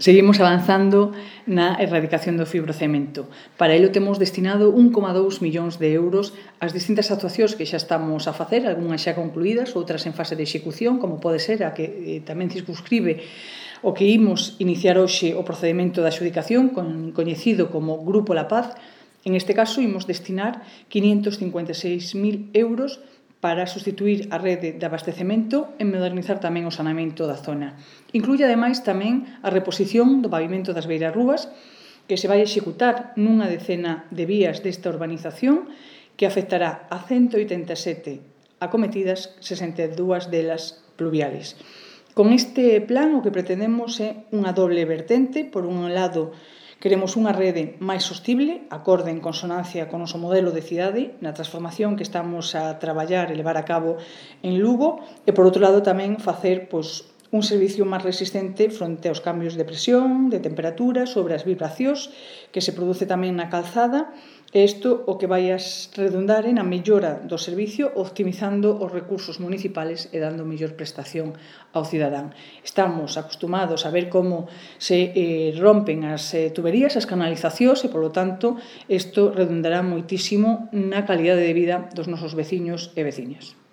Seguimos avanzando na erradicación do fibrocemento. Para ello temos destinado 1,2 millóns de euros ás distintas actuacións que xa estamos a facer, algunhas xa concluídas, outras en fase de execución, como pode ser a que tamén circunscribe o que imos iniciar hoxe o procedimento de adxudicación, coñecido como Grupo La Paz. En este caso, imos destinar 556.000 euros para sustituir a rede de abastecemento e modernizar tamén o saneamento da zona. Incluye, ademais, tamén a reposición do pavimento das beirarrúas, que se vai executar nunha decena de vías desta urbanización, que afectará a 187 acometidas, 62 delas pluviales. Con este plan, o que pretendemos é unha doble vertente. Por un lado, queremos unha rede máis sostible, acorde en consonancia con o noso modelo de cidade, na transformación que estamos a traballar e levar a cabo en Lugo, e, por outro lado, tamén facer un servicio máis resistente fronte aos cambios de presión, de temperatura, sobre as vibracións que se produce tamén na calzada, e isto o que vai a redundar na mellora do servicio, optimizando os recursos municipales e dando mellor prestación ao cidadán. Estamos acostumados a ver como se rompen as tuberías, as canalizacións, e, polo tanto, isto redundará moitísimo na calidade de vida dos nosos veciños e veciñas.